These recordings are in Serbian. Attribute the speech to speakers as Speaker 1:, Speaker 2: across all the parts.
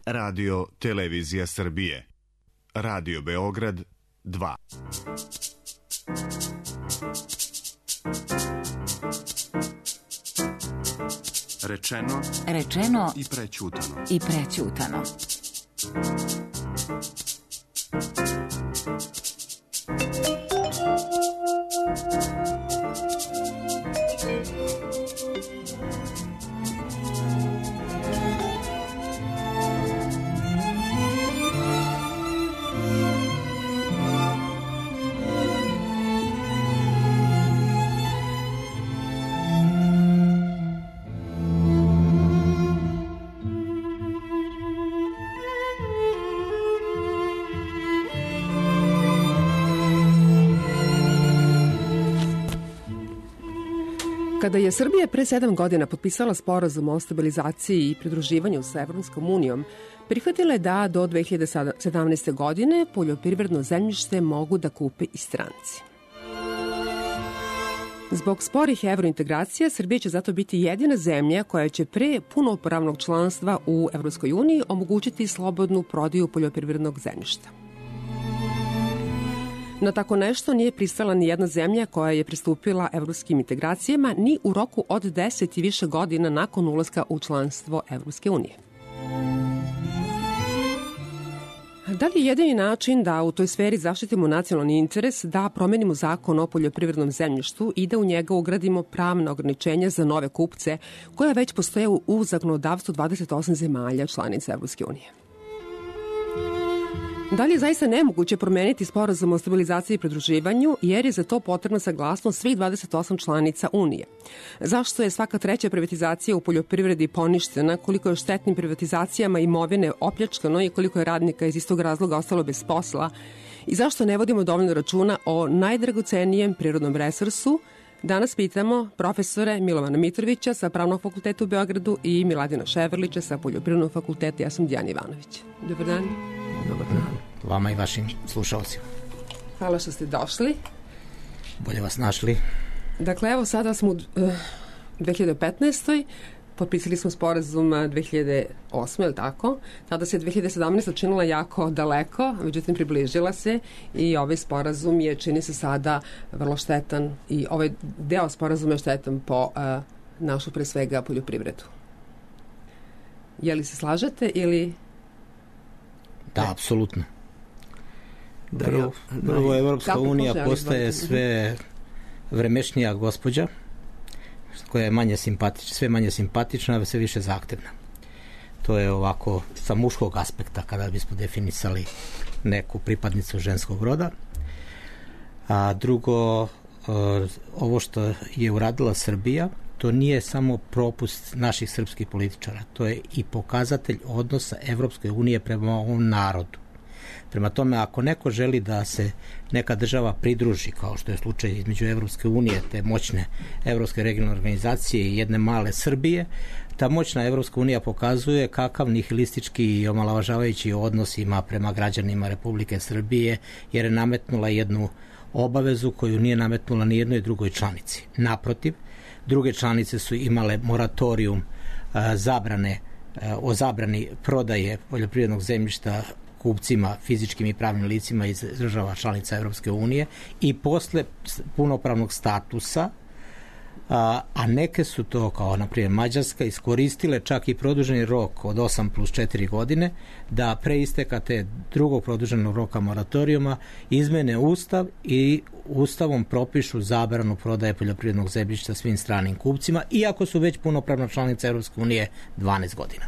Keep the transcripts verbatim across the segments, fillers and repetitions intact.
Speaker 1: Radio Televizija Srbije. Radio Beograd dva. Rečeno,
Speaker 2: rečeno
Speaker 1: i prećutano.
Speaker 2: I prećutano.
Speaker 3: Kada je Srbija pre sedam godina potpisala sporazum o stabilizaciji i pridruživanju sa Evropskom unijom, prihvatila je da do dve hiljade sedamnaeste. godine poljoprivredno zemljište mogu da kupe i stranci. Zbog sporih evrointegracija, Srbija će zato biti jedina zemlja koja će pre punopravnog članstva u Evropskoj uniji omogućiti slobodnu prodaju poljoprivrednog zemljišta. Na tako nešto nije pristala ni jedna zemlja koja je pristupila evropskim integracijama ni u roku od deset i više godina nakon ulaska u članstvo Evropske unije. Da li je jedini način da u toj sferi zaštitimo nacionalni interes da promenimo zakon o poljoprivrednom zemljištu i da u njega ugradimo pravna ograničenja za nove kupce koja već postoje u zakonodavstvu dvadeset osam zemalja članica Evropske unije? Da li je zaista nemoguće promeniti sporazum o stabilizaciji i pridruživanju, jer je za to potrebna saglasnost svih dvadeset osam članica Unije? Zašto je svaka treća privatizacija u poljoprivredi poništena, koliko je štetnim privatizacijama imovine opljačkano i koliko je radnika iz istog razloga ostalo bez posla? I zašto ne vodimo dovoljno računa o najdragocenijem prirodnom resursu? Danas pitamo profesore Milovana Mitrovića sa Pravnog fakulteta u Beogradu i Miladina Ševerlića sa Poljoprivrednog fakulteta. Ja sam Dijana Ivanović. Dobar dan.
Speaker 4: Dobar dan. Vama i vašim slušalcima.
Speaker 3: Hvala što ste došli.
Speaker 4: Bolje vas našli.
Speaker 3: Dakle, evo sada smo u dve hiljade petnaestoj. Potpisali smo sporazum dve hiljade osme, je li tako? Tada se dve hiljade sedamnaesta. činila jako daleko, međutim približila se i ovaj sporazum je, čini se sada, vrlo štetan i ovaj deo sporazuma je štetan po uh, našu pre svega poljoprivredu. Je li se slažete ili...
Speaker 4: Da, apsolutno. Prvo, prvo Evropska unija postaje sve vremešnija gospođa, koja je manje simpatična, sve manje simpatična, a sve više zahtevna. To je ovako sa muškog aspekta kada bismo definisali neku pripadnicu ženskog roda. A drugo, ovo što je uradila Srbija, to nije samo propust naših srpskih političara, to je i pokazatelj odnosa Evropske unije prema ovom narodu. Prema tome, ako neko želi da se neka država pridruži, kao što je slučaj između Evropske unije, te moćne Evropske regionalne organizacije i jedne male Srbije, ta moćna Evropska unija pokazuje kakav nihilistički i omalovažavajući odnos ima prema građanima Republike Srbije, jer je nametnula jednu obavezu koju nije nametnula ni jednoj drugoj članici. Naprotiv, druge članice su imale moratorijum a, zabrane, a, o zabrani prodaje poljoprivrednog zemljišta kupcima, fizičkim i pravnim licima iz država članica Evropske unije i posle punopravnog statusa, a, a neke su to, kao na primjer Mađarska, iskoristile čak i produženi rok od osam plus četiri godine da pre isteka te drugog produženog roka moratorijuma izmene Ustav i Ustavom propišu zabranu prodaje poljoprivrednog zemljišta svim stranim kupcima, iako su već punopravna članica Evropske unije dvanaest godina.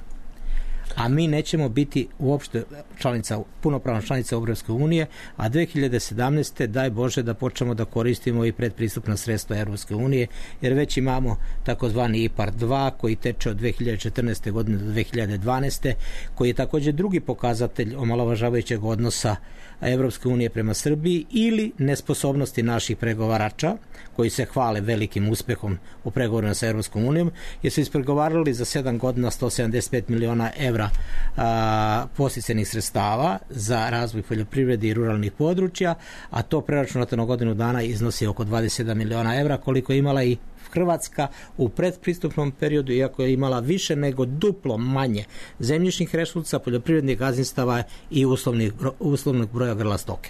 Speaker 4: A mi nećemo biti uopšte članica, punopravna članica Evropske unije, a dve hiljade sedamnaeste. daj Bože da počnemo da koristimo i predpristupna sredstva Evropske unije, jer već imamo takozvani I P A R dva koji teče od dve hiljade četrnaeste. godine do dve hiljade dvanaeste. koji je takođe drugi pokazatelj omalovažavajućeg odnosa Evropske unije prema Srbiji ili nesposobnosti naših pregovarača koji se hvale velikim uspehom u pregovorima sa Evropskom unijom, jer su ispregovarali za sedam godina sto sedamdeset pet miliona evra evra posticenih sredstava za razvoj poljoprivrede i ruralnih područja, a to preračunato na godinu dana iznosi oko dvadeset sedam miliona evra, koliko je imala i Hrvatska u predpristupnom periodu, iako je imala više nego duplo manje zemljišnih resursa, poljoprivrednih gazdinstava i uslovnih, uslovnog broja grla stoke.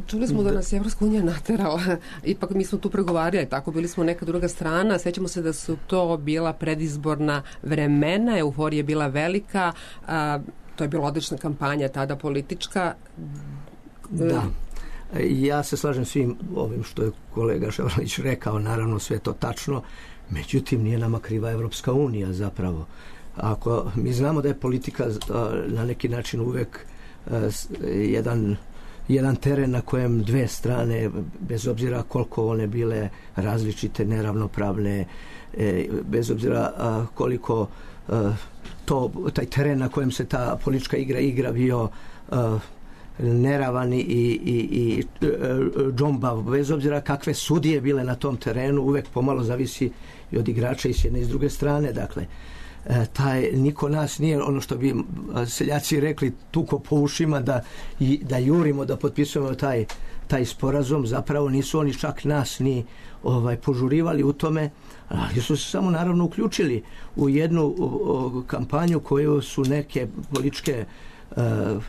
Speaker 3: Čuli smo da nas je Evropska unija naterala, ipak mi smo tu pregovarali, tako bili smo neka druga strana, sećamo se da su to bila predizborna vremena, euforija je bila velika, a, to je bila odlična kampanja tada politička.
Speaker 2: Da. Ja se slažem svim ovim što je kolega Ševrlić rekao, naravno sve to tačno, međutim nije nama kriva Evropska unija zapravo. Ako mi znamo da je politika na neki način uvek jedan, jedan teren na kojem dve strane, bez obzira koliko one bile različite, neravnopravne, bez obzira koliko to, taj teren na kojem se ta politička igra igra bio neravani i, i, i džombav, bez obzira kakve sudije bile na tom terenu, uvek pomalo zavisi i od igrača i s jedne i s druge strane. Dakle, taj, niko nas nije, ono što bi seljaci rekli, tuko po ušima da, i, da jurimo, da potpisujemo taj, taj sporazum. Zapravo nisu oni čak nas ni ovaj, požurivali u tome, ali su se samo naravno uključili u jednu o, o, kampanju koju su neke političke uh,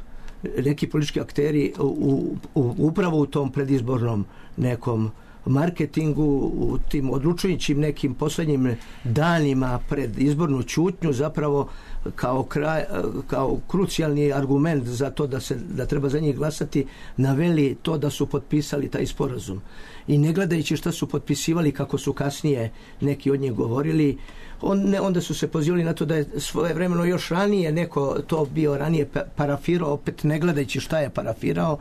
Speaker 2: neki politički akteri u, u, upravo u tom predizbornom nekom marketingu, u tim odlučujućim nekim poslednjim danima pred izbornu ćutnju zapravo kao, kraj, kao krucijalni argument za to da, se, da treba za njih glasati, naveli to da su potpisali taj sporazum. I ne gledajući šta su potpisivali, kako su kasnije neki od njih govorili, on, ne, onda su se pozivali na to da je svojevremeno još ranije neko to bio ranije parafirao, opet ne gledajući šta je parafirao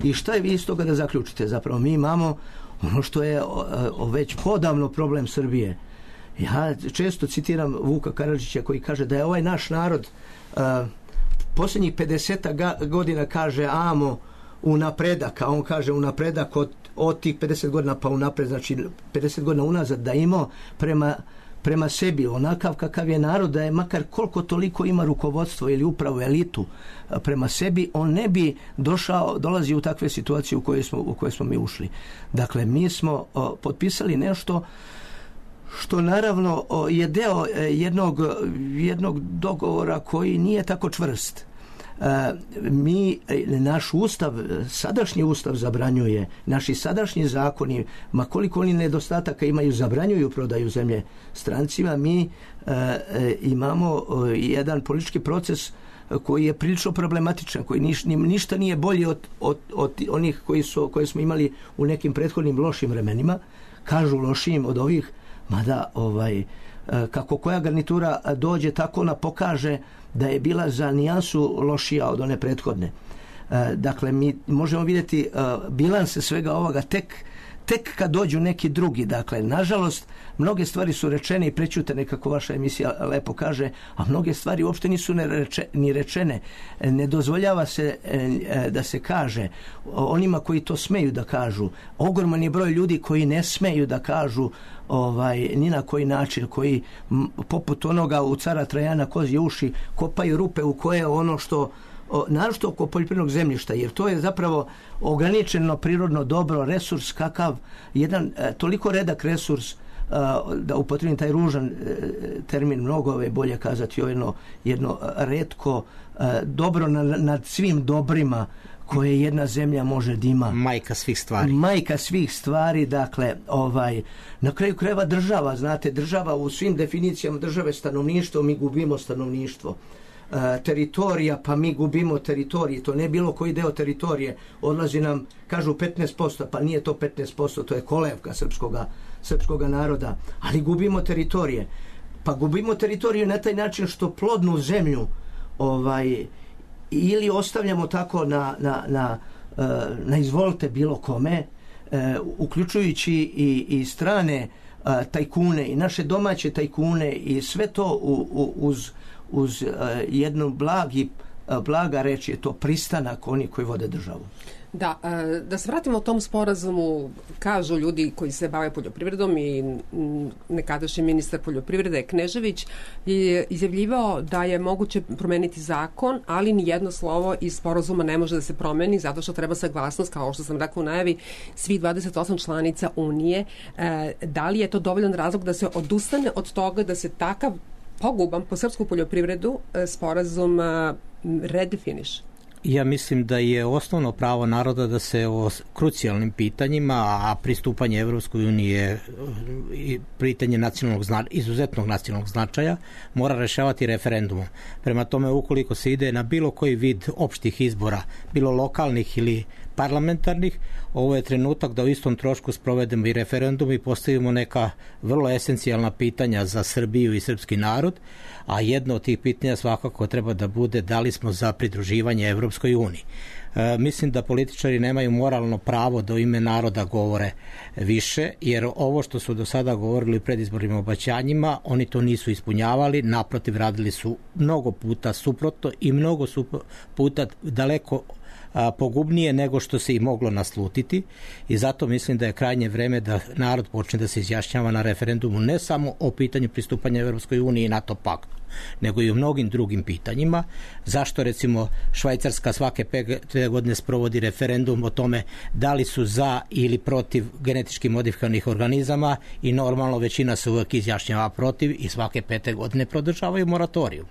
Speaker 2: i šta je vi iz toga da zaključite. Zapravo mi imamo ono što je o, o, već podavno problem Srbije. Ja često citiram Vuka Karadžića koji kaže da je ovaj naš narod uh, posljednjih pedeset godina kaže amo u napredak, a on kaže u napredak od, od tih pedeset godina pa u napred, znači pedeset godina unazad, da imao prema prema sebi onakav kakav je narod, da je makar koliko toliko ima rukovodstvo ili upravo elitu prema sebi, on ne bi došao, dolazi u takve situacije u koje smo, u koje smo mi ušli. Dakle, mi smo o, potpisali nešto što naravno o, je deo jednog, jednog dogovora koji nije tako čvrst. E, mi, naš ustav, sadašnji ustav zabranjuje, naši sadašnji zakoni, ma koliko oni nedostataka imaju, zabranjuju prodaju zemlje strancima. Mi e, e, imamo e, jedan politički proces koji je prilično problematičan, koji niš, ništa nije bolji od, od, od onih koji su, koje smo imali u nekim prethodnim lošim vremenima, kažu lošim od ovih, mada ovaj, e, kako koja garnitura dođe, tako ona pokaže da je bila za nijansu lošija od one prethodne. E, dakle, mi možemo vidjeti e, bilanse svega ovoga tek, tek kad dođu neki drugi. Dakle, nažalost, mnoge stvari su rečene i prećutene, kako vaša emisija lepo kaže, a mnoge stvari uopšte nisu ne reče, ni rečene. Ne dozvoljava se e, da se kaže onima koji to smeju da kažu. Ogroman je broj ljudi koji ne smeju da kažu ovaj, ni na koji način, koji m, poput onoga u cara Trajana kozje uši kopaju rupe u koje ono što o, naročito oko poljoprivrednog zemljišta, jer to je zapravo ograničeno prirodno dobro, resurs kakav, jedan e, toliko redak resurs, e, da upotrebim taj ružan e, termin, mnogo je bolje kazati jedno, jedno retko e, dobro na, nad svim dobrima koje jedna zemlja može da ima.
Speaker 4: Majka svih stvari.
Speaker 2: Majka svih stvari, dakle, ovaj, na kraju krajeva država, znate, država u svim definicijama države, stanovništvo, mi gubimo stanovništvo. E, teritorija, pa mi gubimo teritorije, to ne bilo koji deo teritorije, odlazi nam, kažu petnaest posto, pa nije to petnaest posto, to je kolevka srpskoga, srpskoga naroda, ali gubimo teritorije. Pa gubimo teritoriju na taj način što plodnu zemlju ovaj, ili ostavljamo tako na, na, na, na izvolite bilo kome, uključujući i, i strane tajkune i naše domaće tajkune i sve to u, u, uz, uz jednu blagi blaga reč je to pristanak oni koji vode državu.
Speaker 3: Da, da se vratimo o tom sporazumu, kažu ljudi koji se bave poljoprivredom i nekadašnji ministar poljoprivrede Knežević je izjavljivao da je moguće promeniti zakon, ali ni jedno slovo iz sporazuma ne može da se promeni zato što treba saglasnost, kao što sam rekla u najavi, svih dvadeset osam članica Unije. Da li je to dovoljan razlog da se odustane od toga da se takav poguban po srpsku poljoprivredu sporazum redefiniše?
Speaker 4: Ja mislim da je osnovno pravo naroda da se o krucijalnim pitanjima, a pristupanje Evropskoj uniji je pitanje nacionalnog zna, izuzetnog nacionalnog značaja, mora rešavati referendumom. Prema tome, ukoliko se ide na bilo koji vid opštih izbora, bilo lokalnih ili parlamentarnih, ovo je trenutak da u istom trošku sprovedemo i referendum i postavimo neka vrlo esencijalna pitanja za Srbiju i srpski narod, a jedno od tih pitanja svakako treba da bude da li smo za pridruživanje Evropskoj uniji. E, mislim da političari nemaju moralno pravo da u ime naroda govore više, jer ovo što su do sada govorili u predizbornim obećanjima, oni to nisu ispunjavali, naprotiv radili su mnogo puta suprotno i mnogo su puta daleko a, pogubnije nego što se i moglo naslutiti, i zato mislim da je krajnje vreme da narod počne da se izjašnjava na referendumu ne samo o pitanju pristupanja Evropskoj uniji i NATO paktu, nego i o mnogim drugim pitanjima. Zašto recimo Švajcarska svake pet godine sprovodi referendum o tome da li su za ili protiv genetički modifikovanih organizama, i normalno većina se uvek izjašnjava protiv i svake pete godine prodržavaju moratoriju.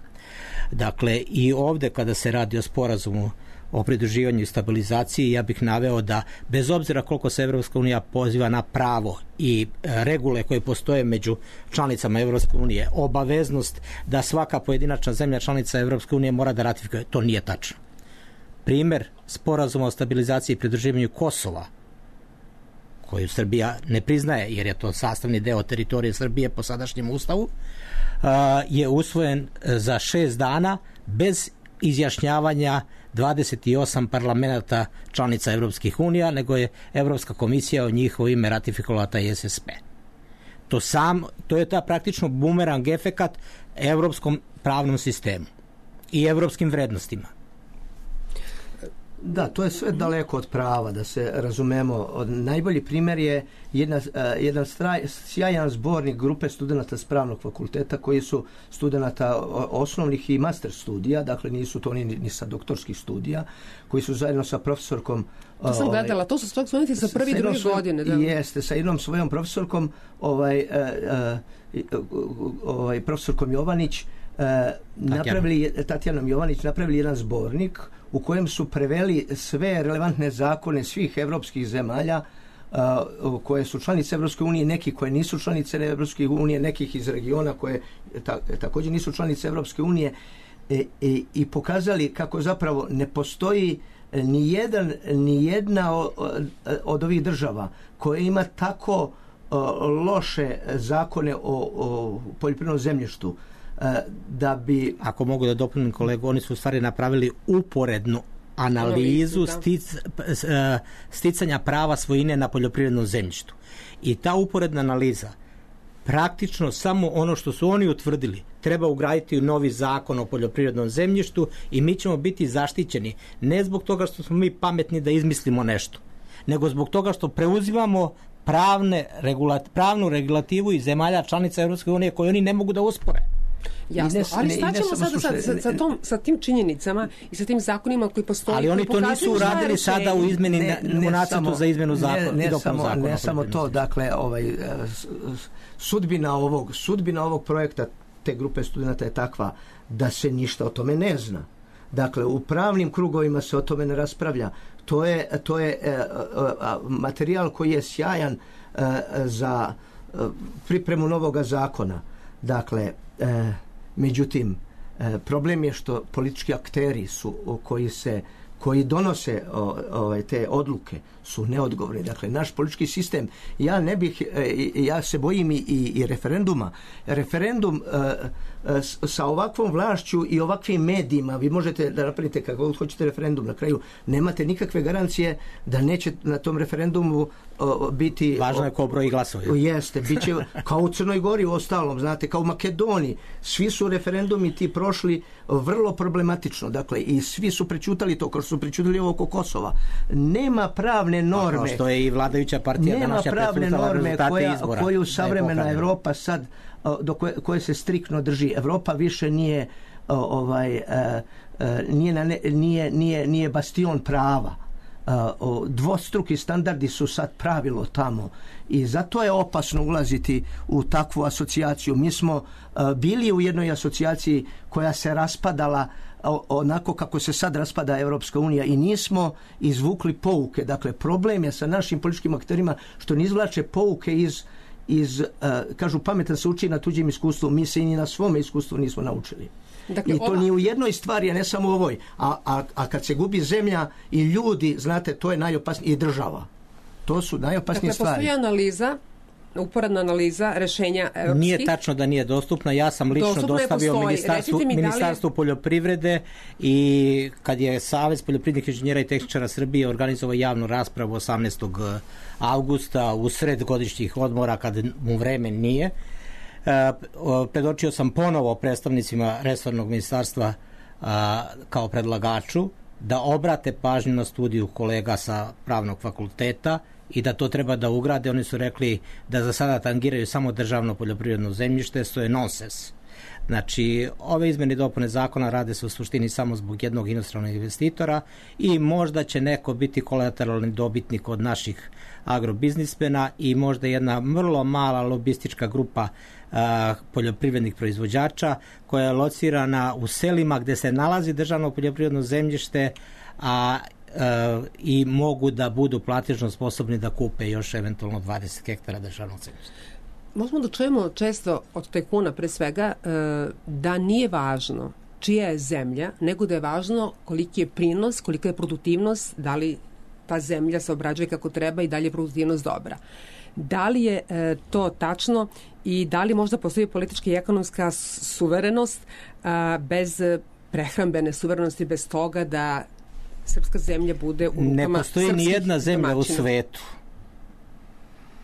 Speaker 4: Dakle, i ovde kada se radi o sporazumu o pridruživanju i stabilizaciji, ja bih naveo da bez obzira koliko se Evropska unija poziva na pravo i regule koje postoje među članicama Evropske unije, obaveznost da svaka pojedinačna zemlja članica Evropske unije mora da ratifikuje, to nije tačno. Primer sporazuma o stabilizaciji i pridruživanju Kosova, koju Srbija ne priznaje jer je to sastavni deo teritorije Srbije po sadašnjem ustavu, je usvojen za šest dana bez izjašnjavanja dvadeset osam parlamenta članica Evropskih unija, nego je Evropska komisija o njihovo ime ratifikovala taj S S P. To, sam, to je ta praktično bumerang efekat evropskom pravnom sistemu i evropskim vrednostima.
Speaker 2: Da, to je sve daleko od prava, da se razumemo. Najbolji primjer je jedna, jedan straj, sjajan zbornik grupe studenta s pravnog fakulteta koji su studenta osnovnih i master studija, dakle nisu to ni, ni sa doktorskih studija, koji su zajedno sa profesorkom...
Speaker 3: To sam ovaj, gledala, to su studenti sa prvi i druge godine. Da.
Speaker 2: Jeste, sa jednom svojom profesorkom, ovaj, ovaj, profesorkom Jovanić, napravili, Tatjanom Jovanić, napravili jedan zbornik u kojem su preveli sve relevantne zakone svih evropskih zemalja uh, koje su članice Evropske unije, neki koje nisu članice Evropske unije, nekih iz regiona koje ta, također nisu članice Evropske unije, e, e, i pokazali kako zapravo ne postoji ni jedan, ni jedna od, od ovih država koja ima tako uh, loše zakone o, o poljoprivrednom zemljištu, da bi...
Speaker 4: Ako mogu da dopunim kolegu, oni su u stvari napravili uporednu analizu stic, sticanja prava svojine na poljoprivrednom zemljištu. I ta uporedna analiza praktično samo ono što su oni utvrdili treba ugraditi u novi zakon o poljoprivrednom zemljištu i mi ćemo biti zaštićeni ne zbog toga što smo mi pametni da izmislimo nešto, nego zbog toga što preuzimamo pravne, regulat, pravnu regulativu iz zemalja članica Evropske unije koje oni ne mogu da uspore.
Speaker 3: Jasno, ali staćemo sada sa, sa, sa, tom, sa tim činjenicama i sa tim zakonima koji postoji.
Speaker 4: Ali oni to nisu uradili sada u izmeni, ne, ne, u nacrtu za izmenu zakona.
Speaker 2: Ne, ne, samo, zakona, ne samo to, dakle, ovaj, sudbina ovog, sudbina ovog projekta te grupe studenta je takva da se ništa o tome ne zna. Dakle, u pravnim krugovima se o tome ne raspravlja. To je, to je e, e, materijal koji je sjajan e, za e, pripremu novoga zakona. Dakle, e, međutim, e, problem je što politički akteri su o, koji se koji donose o, o, te odluke su neodgovorni. Dakle, naš politički sistem, ja ne bih, e, ja se bojim i, i referenduma. Referendum e, e, sa ovakvom vlašću i ovakvim medijima, vi možete da napravite kako hoćete referendum, na kraju nemate nikakve garancije da neće na tom referendumu o, biti...
Speaker 4: Važno je ko broji glasove.
Speaker 2: Jeste, bit će kao u Crnoj Gori u ostalom, znate, kao u Makedoniji. Svi su referendumi ti prošli vrlo problematično, dakle, i svi su prećutali to, kao što su prećutali ovo oko Kosova. Nema pravne norme...
Speaker 4: Kao što je i vladajuća partija današnja prećutala rezultate izbora.
Speaker 2: Koju savremena Evropa sad, do koje, koje se striktno drži. Evropa više nije ovaj, nije, na ne, nije, nije, nije bastion prava. Dvostruki standardi su sad pravilo tamo i zato je opasno ulaziti u takvu asocijaciju. Mi smo bili u jednoj asocijaciji koja se raspadala onako kako se sad raspada Evropska unija i nismo izvukli pouke. Dakle, problem je sa našim političkim akterima što ne izvlače pouke iz, iz kažu pametan se uči na tuđim iskustvu, mi se i ni na svome iskustvu nismo naučili. Dakle, I to ova... ni u jednoj stvari, a ne samo u ovoj. A, a, a kad se gubi zemlja i ljudi, znate, to je najopasnije, i država. To su najopasnije
Speaker 3: dakle,
Speaker 2: stvari.
Speaker 3: Dakle, postoji analiza, uporedna analiza rešenja evropskih.
Speaker 4: Nije tačno da nije dostupna. Ja sam lično dostupno dostavio ministarstvu, ministarstvu li... poljoprivrede i kad je Savez poljoprivrednih inženjera i tehničara Srbije organizovao javnu raspravu osamnaestog avgusta u sred godišnjih odmora kad mu vreme nije, predočio sam ponovo predstavnicima resornog ministarstva a, kao predlagaču da obrate pažnju na studiju kolega sa pravnog fakulteta i da to treba da ugrade. Oni su rekli da za sada tangiraju samo državno poljoprivredno zemljište, što je nonsens. Znači, ove izmene i dopune zakona rade se u suštini samo zbog jednog inostranog investitora i možda će neko biti kolateralni dobitnik od naših agrobiznismena i možda jedna vrlo mala lobistička grupa a, poljoprivrednih proizvođača koja je locirana u selima gde se nalazi državno poljoprivredno zemljište, a a, i mogu da budu platežno sposobni da kupe još eventualno dvadeset hektara državnog zemljišta.
Speaker 3: Možemo da čujemo često od tajkuna pre svega da nije važno čija je zemlja, nego da je važno koliki je prinos, kolika je produktivnost, da li ta zemlja se obrađuje kako treba i da li je produktivnost dobra. Da li je to tačno i da li možda postoji politička i ekonomska suverenost bez prehrambene suverenosti, bez toga da srpska zemlja bude u rukama
Speaker 4: ne postoji ni jedna zemlja domaćina u svetu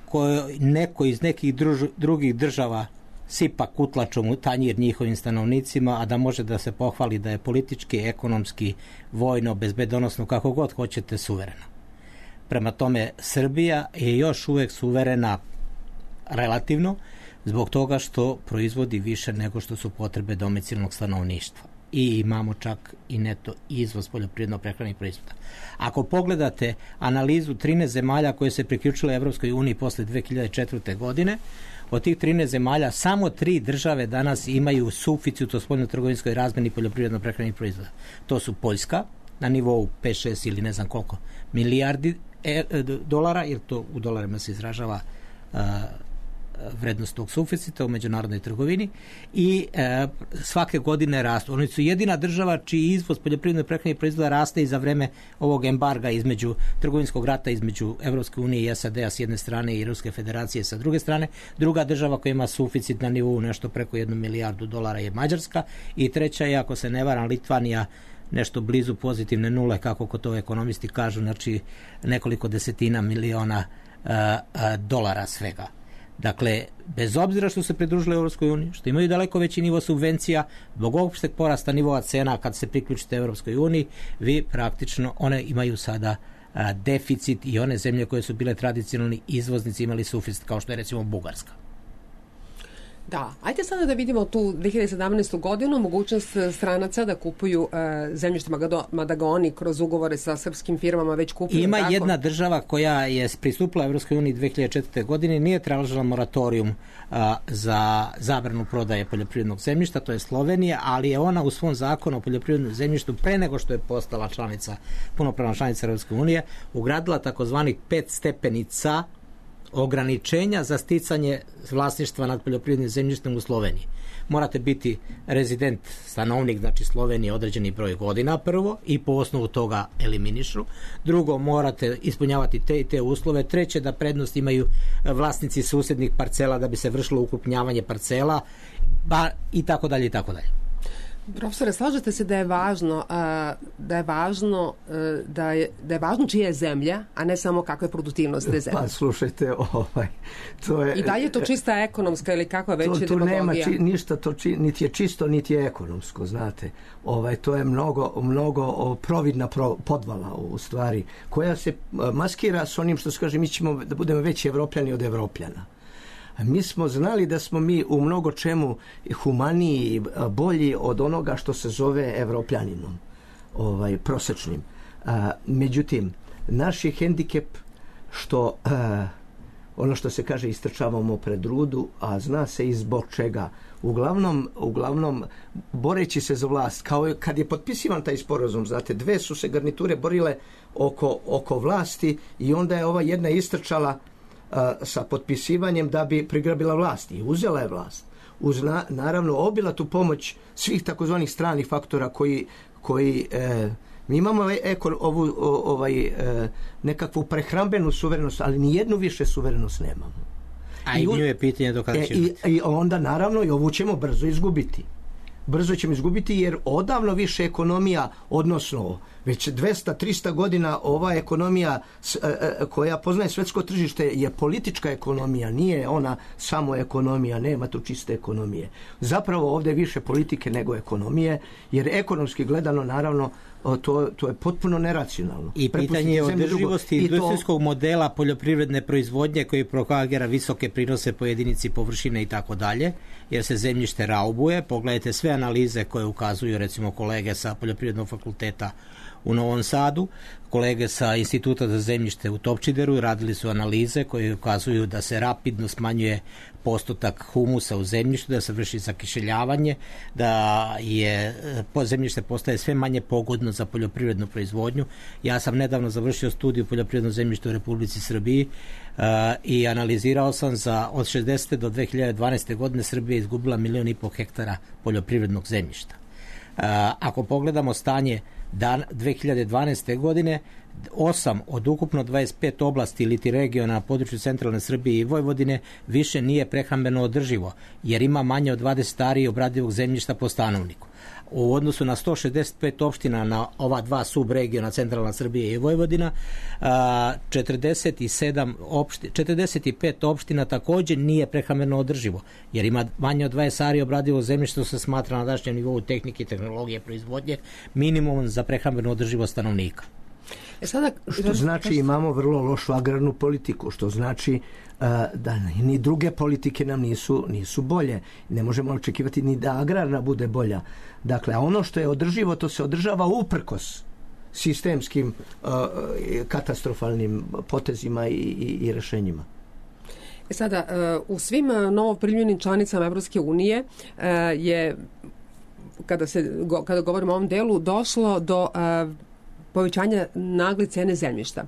Speaker 4: koje neko iz nekih druž, drugih država sipa kutlačom u tanjir njihovim stanovnicima, a da može da se pohvali da je politički, ekonomski, vojno, bezbedonosno, kako god hoćete, suverena. Prema tome, Srbija je još uvek suverena relativno zbog toga što proizvodi više nego što su potrebe domicilnog stanovništva. I imamo čak i neto izvoz poljoprivredno-prehrambenih proizvoda. Ako pogledate analizu trinaest zemalja koje se priključile Evropskoj uniji posle dve hiljade četvrte. godine, od tih trinaest zemalja samo tri države danas imaju suficit u spoljno-trgovinskoj razmeni poljoprivredno-prehrambenih proizvoda. To su Poljska na nivou pet šest ili ne znam koliko milijardi e, dolara, jer to u dolarima se izražava uh, vrednost tog suficita u međunarodnoj trgovini i e, svake godine rastu. Oni su jedina država čiji izvoz poljoprivredno prehrambenih proizvoda raste i za vreme ovog embarga između trgovinskog rata između Evropske unije i S A D-a s jedne strane i Ruske federacije sa druge strane. Druga država koja ima suficit na nivou nešto preko jednu milijardu dolara je Mađarska i treća je, ako se ne varam, Litvanija, nešto blizu pozitivne nule, kako ko to ekonomisti kažu, znači nekoliko desetina miliona a, a, dolara svega. Dakle, bez obzira što se pridružili Evropskoj uniji, što imaju daleko veći nivo subvencija, zbog opšteg porasta nivoa cena kad se priključite Evropskoj uniji, vi praktično, one imaju sada a, deficit i one zemlje koje su bile tradicionalni izvoznici imali suficit, kao što je recimo Bugarska.
Speaker 3: Da, ajde sada da vidimo tu dve hiljade sedamnaestu. godinu, mogućnost stranaca da kupuju uh, zemljište, mada ga oni kroz ugovore sa srpskim firmama već kupuju.
Speaker 4: Ima
Speaker 3: tako?
Speaker 4: Jedna država koja je pristupila Evropskoj uniji dve hiljade četvrte. godine, nije tražila moratorijum uh, za zabranu prodaje poljoprivrednog zemljišta, to je Slovenija, ali je ona u svom zakonu o poljoprivrednom zemljištu pre nego što je postala članica, punopravna članica Evropske unije, ugradila takozvanih pet stepenica ograničenja za sticanje vlasništva nad poljoprivrednim zemljištem u Sloveniji. Morate biti rezident, stanovnik, znači Slovenije, određeni broj godina prvo i po osnovu toga eliminišu. Drugo, morate ispunjavati te i te uslove. Treće, da prednost imaju vlasnici susednih parcela da bi se vršilo ukrupnjavanje parcela, ba, i tako dalje i tako dalje.
Speaker 3: Profesore, slažete se da je važno da je važno da je, da je važno čija je zemlja, a ne samo kakva je produktivnost te zemlje?
Speaker 2: Pa slušajte, ovaj, to je...
Speaker 3: I dalje je to čista ekonomska ili kakva već je demagogija?
Speaker 2: To nema či, ništa, to či, niti je čisto, niti je ekonomsko, znate. Ovaj, to je mnogo, mnogo providna pro, podvala u stvari, koja se maskira s onim što se kaže, mi ćemo da budemo veći Evropljani od Evropljana. Mi smo znali da smo mi u mnogo čemu humaniji, bolji od onoga što se zove Evropljaninom, ovaj, prosečnim. A, međutim, naš je hendikep što a, ono što se kaže istrčavamo pred rudu, a zna se i zbog čega. Uglavnom, uglavnom boreći se za vlast, kao kad je potpisivan taj sporazum, znate, dve su se garniture borile oko, oko vlasti i onda je ova jedna istrčala sa potpisivanjem da bi prigrabila vlast i uzela je vlast. Uz na, naravno obila tu pomoć svih takozvanih stranih faktora koji, koji e, mi imamo eko, ovu o, ovaj, e, nekakvu prehrambenu suverenost, ali ni jednu više suverenost nemamo.
Speaker 4: A i nju je pitanje do kada će
Speaker 2: e, i, i onda naravno i ovu ćemo brzo izgubiti. Brzo ćemo izgubiti jer odavno više ekonomija, odnosno već dvesta do trista godina ova ekonomija koja poznaje svetsko tržište je politička ekonomija, nije ona samo ekonomija, nema tu čiste ekonomije. Zapravo ovdje je više politike nego ekonomije, jer ekonomski gledano naravno to, to je potpuno neracionalno.
Speaker 4: I pitanje je održivosti industrijskog to... modela poljoprivredne proizvodnje koji propagira visoke prinose po jedinici površine i tako dalje, jer se zemljište raubuje. Pogledajte sve analize koje ukazuju recimo kolege sa Poljoprivrednog fakulteta u Novom Sadu, kolege sa Instituta za zemljište u Topčideru radili su analize koje ukazuju da se rapidno smanjuje postotak humusa u zemljištu, da se vrši zakiseljavanje, da je zemljište postaje sve manje pogodno za poljoprivrednu proizvodnju. Ja sam nedavno završio studiju poljoprivrednog zemljišta u Republici Srbiji uh, i analizirao sam za od šezdeset do dve hiljade dvanaeste. godine Srbija izgubila milion i po hektara poljoprivrednog zemljišta. Uh, ako pogledamo stanje dan dve hiljade dvanaeste. godine, osam od ukupno dvadeset pet oblasti ili regiona na području centralne Srbije i Vojvodine više nije prehrambeno održivo, jer ima manje od dvadeset ari obradivog zemljišta po stanovniku. U odnosu na sto šezdeset pet opština na ova dva subregiona centralna Srbije i Vojvodina, četrdeset sedam opština, četrdeset pet opština također nije prehrambeno održivo, jer ima manje od dvadeset ari obradivog zemljišta, što se smatra na današnjem nivou tehnike i tehnologije proizvodnje minimum za prehrambeno održivo stanovnika.
Speaker 2: E sada, što znači imamo vrlo lošu agrarnu politiku, što znači uh, da ni druge politike nam nisu, nisu bolje. Ne možemo očekivati ni da agrarna bude bolja. Dakle, a ono što je održivo, to se održava uprkos sistemskim uh, katastrofalnim potezima i, i, i rešenjima.
Speaker 3: E sada, uh, u svim novoprimljenim članicama Evropske unije uh, je, kada, se, go, kada govorimo o ovom delu, došlo do uh, povećanja nagle cene zemljišta.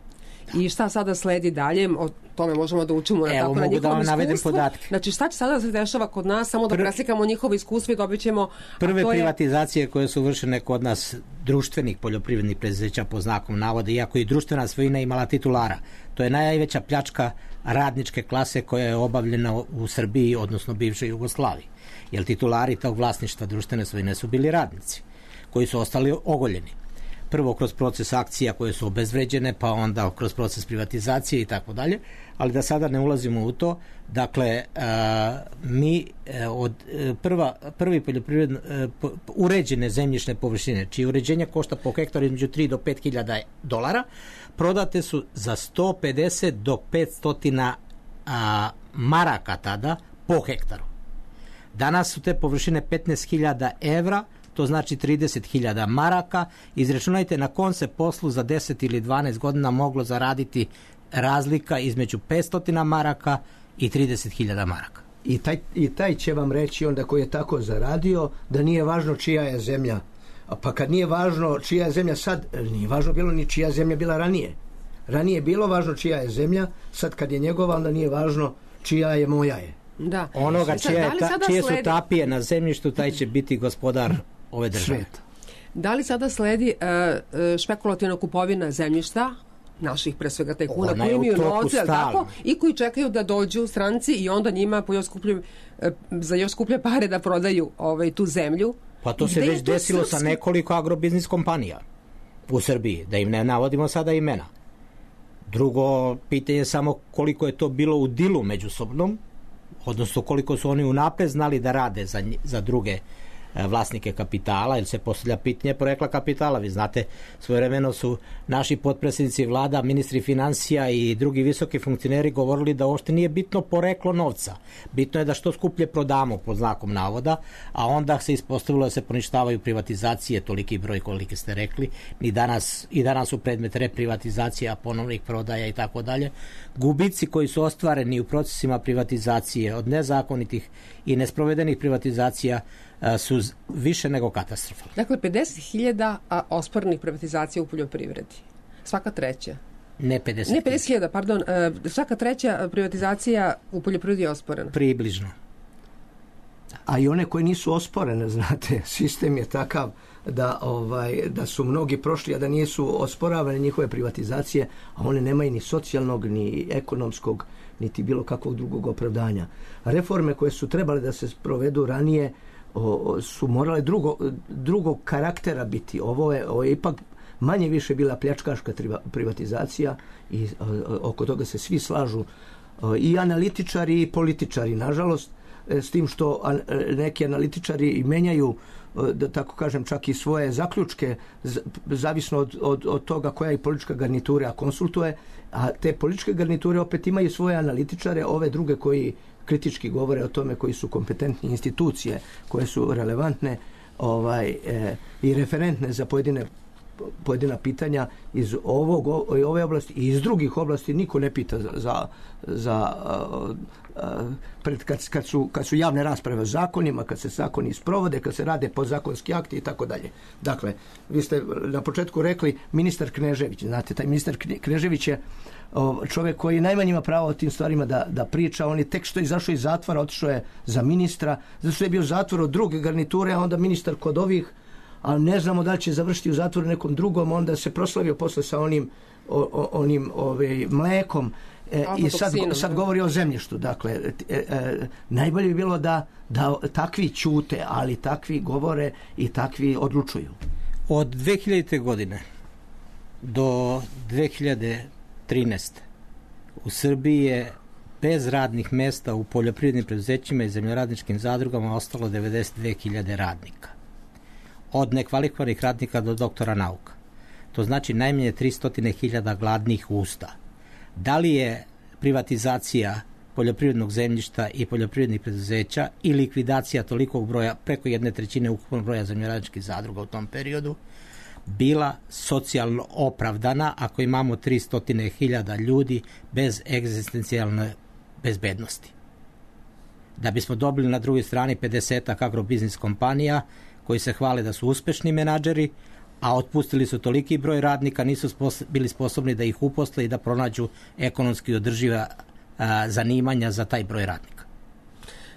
Speaker 3: Da. I šta sada sledi dalje? O tome možemo da učimo na, tako, na njihovom da iskustvu. Znači šta će sada se dešava kod nas? Samo da Pr... preslikamo njihovo iskustvo i dobit ćemo...
Speaker 4: Prve
Speaker 3: to je...
Speaker 4: privatizacije koje su vršene kod nas društvenih poljoprivrednih preduzeća po znakom navoda, iako i društvena svojina imala titulara. To je najveća pljačka radničke klase koja je obavljena u Srbiji, odnosno bivšoj Jugoslaviji. Jer titulari tog vlasništva društvene svojine su bili radnici, koji su ostali ogoljeni. Prvo kroz proces akcija koje su obezvređene, pa onda kroz proces privatizacije i tako dalje, ali da sada ne ulazimo u to. Dakle, mi od prva, prvi poljoprivredno uređene zemljišne površine, čije uređenje košta po hektaru između tri do pet hiljada dolara, prodate su za sto pedeset do petsto maraka tada po hektaru. Danas su te površine petnaest hiljada evra, to znači trideset hiljada maraka. Izračunajte na kom se poslu za deset ili dvanaest godina moglo zaraditi razlika između petsto maraka i trideset hiljada maraka.
Speaker 2: I taj, I taj će vam reći onda koji je tako zaradio da nije važno čija je zemlja. A pa kad nije važno čija je zemlja sad, nije važno bilo ni čija zemlja bila ranije. Ranije je bilo važno čija je zemlja, sad kad je njegova, onda nije važno čija je moja je.
Speaker 3: Da.
Speaker 4: Onoga čije, ta, čije su tapije na zemljištu, taj će biti gospodar ove države. Svet.
Speaker 3: Da li sada sledi uh, špekulativna kupovina zemljišta naših pre svega tajkuna koji imaju novce tako, i koji čekaju da dođu stranci i onda njima po još skuplje, uh, za još skuplje pare da prodaju ovaj, tu zemlju
Speaker 4: Pa to se već desilo srpski... sa nekoliko agrobiznis kompanija u Srbiji, da im ne navodimo sada imena. Drugo pitanje je samo koliko je to bilo u dilu međusobnom, odnosno koliko su oni unapred znali da rade za, za druge vlasnike kapitala, jer se postavlja pitanje porekla kapitala. Vi znate, svojevremeno su naši potpredsjednici vlada, ministri financija i drugi visoki funkcioneri govorili da uopšte nije bitno poreklo novca. Bitno je da što skuplje prodamo, pod znakom navoda, a onda se ispostavilo da se poništavaju privatizacije, toliki broj koliki ste rekli, i danas, i danas su predmet reprivatizacija, ponovnih prodaja i tako dalje. Gubici koji su ostvareni u procesima privatizacije od nezakonitih i nesprovedenih privatizacija su više nego katastrofalni.
Speaker 3: Dakle, pedeset hiljada osporenih privatizacija u poljoprivredi. Svaka treća.
Speaker 4: Ne pedeset hiljada.
Speaker 3: Ne pedeset hiljada, pardon. Svaka treća privatizacija u poljoprivredi je osporena.
Speaker 4: Približno.
Speaker 2: A i one koje nisu osporene, znate, sistem je takav da, ovaj, da su mnogi prošli, a da nisu osporavane njihove privatizacije, a one nemaju ni socijalnog, ni ekonomskog, niti bilo kakvog drugog opravdanja. Reforme koje su trebale da se provedu ranije O, su morale drugo, drugog karaktera biti. Ovo je, ovo je ipak manje više bila pljačkaška privatizacija i o, oko toga se svi slažu, o, i analitičari i političari, nažalost, s tim što a, neki analitičari i menjaju, da tako kažem, čak i svoje zaključke, zavisno od, od, od toga koja i politička garnitura konsultuje, a te političke garniture opet imaju svoje analitičare, ove druge koji kritički govore o tome, koji su kompetentni institucije, koje su relevantne ovaj, e, i referentne za pojedine, pojedina pitanja iz ovog, ove oblasti i iz drugih oblasti. Niko ne pita za, za, za a, a, pred, kad, kad, su, kad su javne rasprave o zakonima, kad se zakoni sprovode, kad se rade podzakonski akti i tako dalje. Dakle, vi ste na početku rekli ministar Knežević. Znate, taj ministar Knežević je čovjek koji najmanje ima pravo o tim stvarima da, da priča. On je tek što je izašao iz zatvora, otišao je za ministra, zato što je bio zatvor od druge garniture, a onda ministar kod ovih, ali ne znamo da li će završiti u zatvoru nekom drugom. Onda se proslavio posle sa onim, o, o, onim ove, mlekom e, i sad, sad govori o zemljištu. Dakle, e, e, najbolje bi bilo da, da takvi ćute, ali takvi govore i takvi odlučuju.
Speaker 4: Od dve hiljadite. godine do dve hiljade trinaeste. u Srbiji je bez radnih mesta u poljoprivrednim preduzećima i zemljoradničkim zadrugama ostalo devedeset dve hiljade radnika. Od nekvalifikovanih radnika do doktora nauka. To znači najmanje tristo hiljada gladnih usta. Da li je privatizacija poljoprivrednog zemljišta i poljoprivrednih preduzeća i likvidacija tolikog broja, preko jedne trećine ukupnog broja zemljoradničkih zadruga u tom periodu, bila socijalno opravdana ako imamo tristo hiljada ljudi bez egzistencijalne bezbednosti? Da bismo dobili na drugoj strani pedesetak agrobiznis kompanija koji se hvale da su uspešni menadžeri, a otpustili su toliki broj radnika, nisu spos- bili sposobni da ih uposle i da pronađu ekonomski održiva a, zanimanja za taj broj radnika.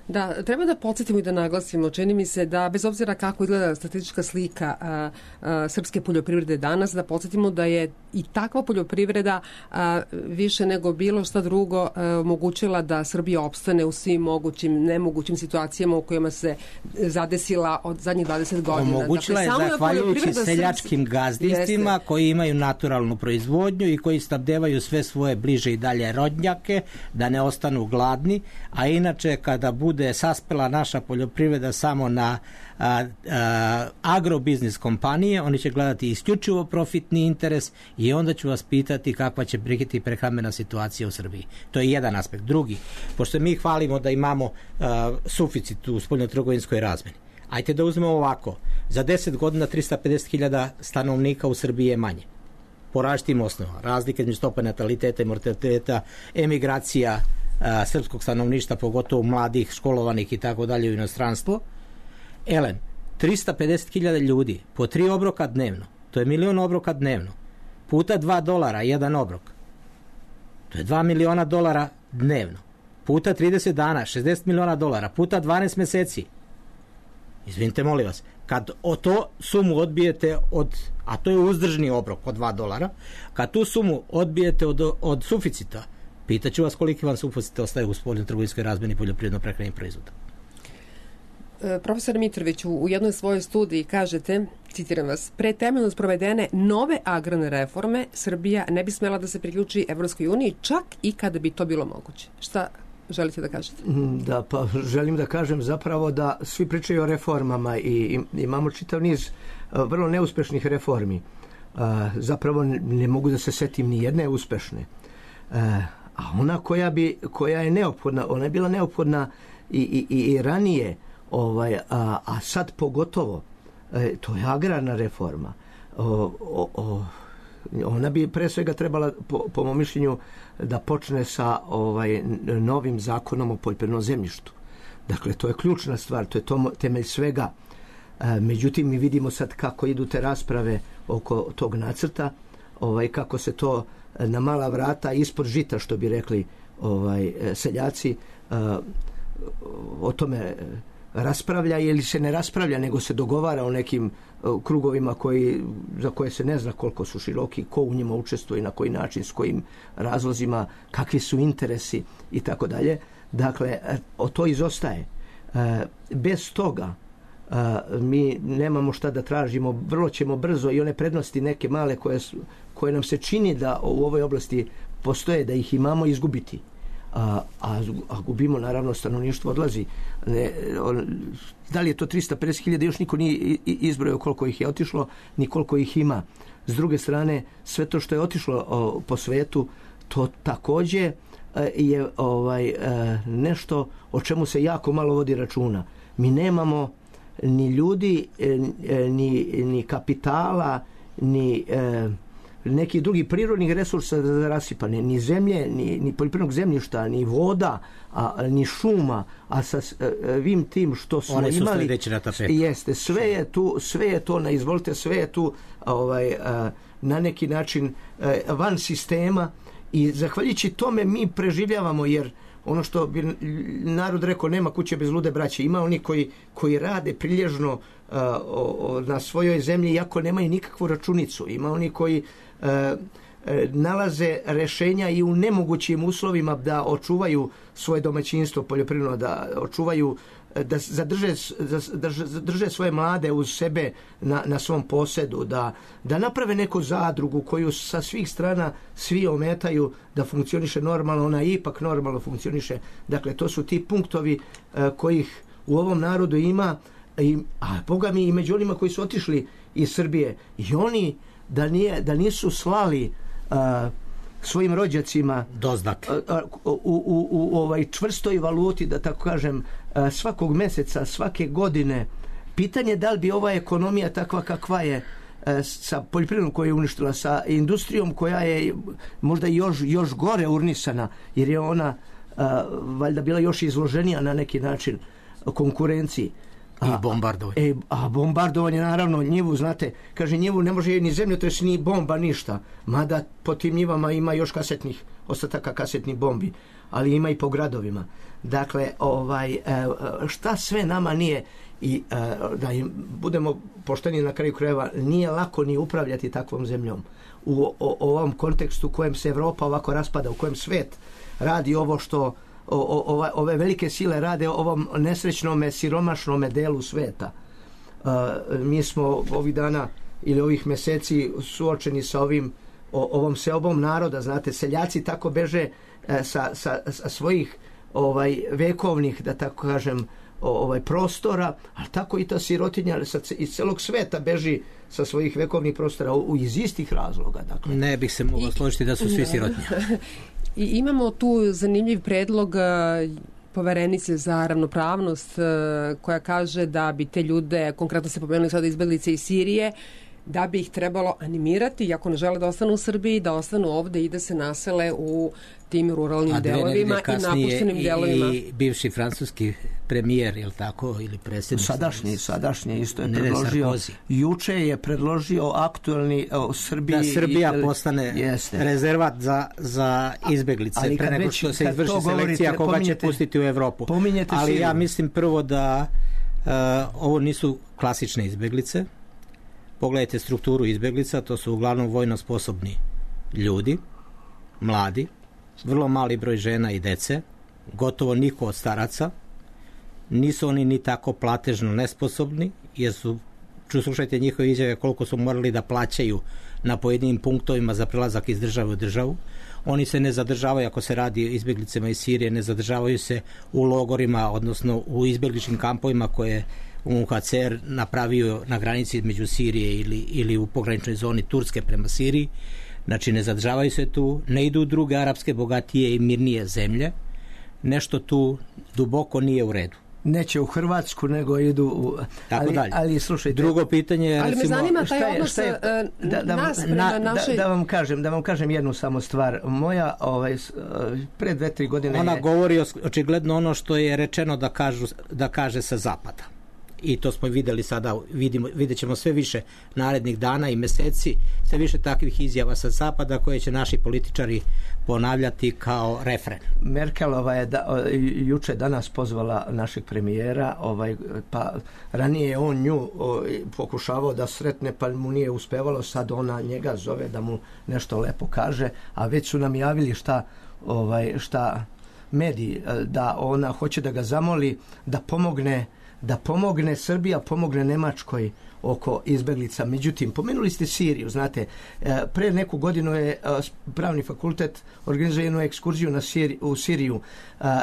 Speaker 3: Da, treba da podsjetimo i da naglasimo, čini mi se da bez obzira kako izgleda statistička slika a, a, srpske poljoprivrede danas, da podsjetimo da je i takva poljoprivreda a, više nego bilo šta drugo a, omogućila da Srbija opstane u svim mogućim, nemogućim situacijama u kojima se zadesila od zadnjih dvadeset godina.
Speaker 4: Omogućila dakle, je zahvaljujući seljačkim gazdinstvima jeste. Koji imaju naturalnu proizvodnju i koji snabdevaju sve svoje bliže i dalje rodnjake da ne ostanu gladni, a inače kada bude saspela naša poljoprivreda samo na a, a, agrobiznis kompanije, oni će gledati isključivo profitni interes i onda ću vas pitati kakva će biti prehrambena situacija u Srbiji. To je jedan aspekt. Drugi, pošto mi hvalimo da imamo a, suficit u spoljnotrgovinskoj razmeni, ajte da uzmemo ovako, za deset godina tristo pedeset hiljada stanovnika u Srbiji je manje. Po različitim osnovama. Razlike između stope nataliteta i mortaliteta, emigracija a, srpskog stanovništva, pogotovo mladih, školovanih i tako dalje u inostranstvo. Elen, tristo pedeset hiljada ljudi po tri obroka dnevno, to je milion obroka dnevno, puta dva dolara jedan obrok, to je dva miliona dolara dnevno, puta trideset dana, šezdeset miliona dolara, puta dvanaest meseci. Izvinite, molim vas, kad o to sumu odbijete od, a to je uzdržni obrok od dva dolara, kad tu sumu odbijete od, od suficita, pitaću vas koliki vam suficit ostaje u spoljno trgovinskoj razmeni poljoprivredno prehrambenih proizvoda.
Speaker 3: Profesor Mitrović, u jednoj svojoj studiji kažete, citiram vas, pre temeljno sprovedene nove agrarne reforme Srbija ne bi smela da se priključi Evropskoj uniji, čak i kada bi to bilo moguće. Šta želite da kažete?
Speaker 2: Da, pa želim da kažem zapravo da svi pričaju o reformama i imamo čitav niz vrlo neuspešnih reformi. Zapravo ne mogu da se setim ni jedne uspešne. A ona koja, bi, koja je neophodna, ona je bila neophodna i, i, i ranije, ovaj, a, a sad pogotovo, e, to je agrarna reforma. O, o, o, ona bi pre svega trebala, po, po mom mišljenju, da počne sa ovaj, novim zakonom o poljoprivrednom zemljištu. Dakle, to je ključna stvar, to je to, temelj svega. E, međutim, mi vidimo sad kako idu te rasprave oko tog nacrta, ovaj, kako se to na mala vrata ispod žita, što bi rekli ovaj, seljaci, o tome raspravlja ili se ne raspravlja, nego se dogovara o nekim krugovima koji, za koje se ne zna koliko su široki, ko u njima učestvuje, na koji način, s kojim razlozima, kakvi su interesi i tako dalje. Dakle, o to izostaje. Bez toga mi nemamo šta da tražimo, vrlo ćemo brzo i one prednosti neke male koje, su, koje nam se čini da u ovoj oblasti postoje, da ih imamo, izgubiti. A, a, a gubimo, naravno, stanovništvo odlazi. Ne, on, da li je to trista pedeset hiljada, još niko nije izbrojao koliko ih je otišlo, ni koliko ih ima. S druge strane, sve to što je otišlo o, po svetu, to takođe je ovaj, nešto o čemu se jako malo vodi računa. Mi nemamo ni ljudi, ni, ni kapitala, ni e, neki drugi prirodnih resursa za rasipane, ni zemlje, ni, ni poljoprivrednog zemljišta, ni voda, a, ni šuma, a sa svim tim što smo
Speaker 4: One su
Speaker 2: imali,
Speaker 4: sledeće na tapetu.
Speaker 2: Jeste, sve je tu, sve je to na izvolite, sve je tu ovaj, na neki način van sistema i zahvaljujući tome mi preživljavamo, jer ono što bi narod rekao, nema kuće bez lude braće. Ima oni koji, koji rade prilježno uh, o, o, na svojoj zemlji, iako nemaju nikakvu računicu. Ima oni koji uh, nalaze rešenja i u nemogućim uslovima da očuvaju svoje domaćinstvo poljoprivredno, da očuvaju, da zadrže, da zadrže svoje mlade uz sebe na, na svom posedu, da, da naprave neku zadrugu koju sa svih strana svi ometaju da funkcioniše normalno, ona ipak normalno funkcioniše. Dakle, to su ti punktovi uh, kojih u ovom narodu ima, i, a Boga mi i među onima koji su otišli iz Srbije, i oni da, nije, da nisu slali uh, svojim rođacima
Speaker 4: doznake
Speaker 2: u, u, u ovaj čvrstoj valuti, da tako kažem, svakog meseca, svake godine, pitanje da li bi ova ekonomija takva kakva je, sa poljoprivredom koja je uništila, sa industrijom koja je možda još, još gore urnisana, jer je ona valjda bila još izloženija na neki način konkurenciji.
Speaker 4: I bombardovanje.
Speaker 2: E, a bombardovanje, naravno, njivu, znate, kaže, njivu ne može ni zemljotres, ni bomba, ništa. Mada po tim njivama ima još kasetnih, ostataka kasetnih bombi, ali ima i po gradovima. Dakle, ovaj, šta sve nama nije, i da im budemo pošteni na kraju krajeva, nije lako ni upravljati takvom zemljom. U o, o, ovom kontekstu u kojem se Evropa ovako raspada, u kojem svet radi ovo što O, o, ove velike sile rade ovom nesrećnome, siromašnome delu sveta. Uh, mi smo ovih dana ili ovih meseci suočeni sa ovim, o, ovom seobom naroda, znate, seljaci tako beže uh, sa, sa, sa svojih ovaj, vekovnih, da tako kažem, ovaj, prostora, ali tako i ta sirotinja sa, iz celog sveta beži sa svojih vekovnih prostora u, iz istih razloga. Dakle.
Speaker 4: Ne bih se mogao složiti da su svi sirotinja.
Speaker 3: I imamo tu zanimljiv predlog poverenice za ravnopravnost koja kaže da bi te ljude, konkretno se pomenuli sada izbeglice iz Sirije, da bi ih trebalo animirati, iako ne žele da ostanu u Srbiji, da ostanu ovde i da se nasele u tim ruralnim delovima i napuštenim delovima.
Speaker 4: I bivši francuski premijer, je li tako, ili predsjednik?
Speaker 2: Sadašnji, sadašnji isto je ne, predložio. Juče je predložio aktualni o Srbiji. Da
Speaker 4: Srbija i, postane jeste. rezervat za, za izbeglice, ali pre nego što se izvrši selekcija koga će pustiti u Evropu. Ali Siriju. Ja mislim prvo da uh, ovo nisu klasične izbeglice. Pogledajte strukturu izbeglica, to su uglavnom vojno sposobni ljudi, mladi, vrlo mali broj žena i dece, gotovo niko od staraca. Nisu oni ni tako platežno nesposobni, jer su, ču slušajte njihove izjave koliko su morali da plaćaju na pojedinim punktovima za prelazak iz države u državu. Oni se ne zadržavaju, ako se radi o izbjeglicama iz Sirije, ne zadržavaju se u logorima, odnosno u izbjegličkim kampovima koje U N H C R napravio na granici između Sirije ili, ili u pograničnoj zoni Turske prema Siriji. Znači ne zadržavaju se tu, ne idu u druge arapske bogatije i mirnije zemlje. Nešto tu duboko nije u redu.
Speaker 2: Neće u Hrvatsku, nego idu u...
Speaker 4: Tako
Speaker 2: ali,
Speaker 4: dalje.
Speaker 2: Ali slušajte...
Speaker 4: Drugo pitanje je...
Speaker 3: Ali
Speaker 4: recimo,
Speaker 3: me zanima taj
Speaker 2: je,
Speaker 3: odnos
Speaker 2: je, da, da,
Speaker 3: nas prema
Speaker 2: na,
Speaker 3: našoj...
Speaker 2: Da, da, vam kažem, da vam kažem jednu samo stvar. Moja, ovaj, pre dve, tri godine...
Speaker 4: Ona
Speaker 2: je...
Speaker 4: govori očigledno ono što je rečeno da, kažu, da kaže sa zapada. I to smo videli sada, vidimo, vidjet ćemo sve više narednih dana i meseci, sve više takvih izjava sa zapada koje će naši političari ponavljati kao refren.
Speaker 2: Merkelova je da, juče danas pozvala našeg premijera, ovaj, pa ranije je on nju o, pokušavao da sretne, pa mu nije uspevalo, sad ona njega zove da mu nešto lepo kaže, a već su nam javili šta, ovaj, šta mediji, da ona hoće da ga zamoli da pomogne da pomogne Srbija, pomogne Nemačkoj oko izbeglica. Međutim, pomenuli ste Siriju, znate, pre neku godinu je pravni fakultet organizuje jednu ekskurziju na Siri, u Siriju.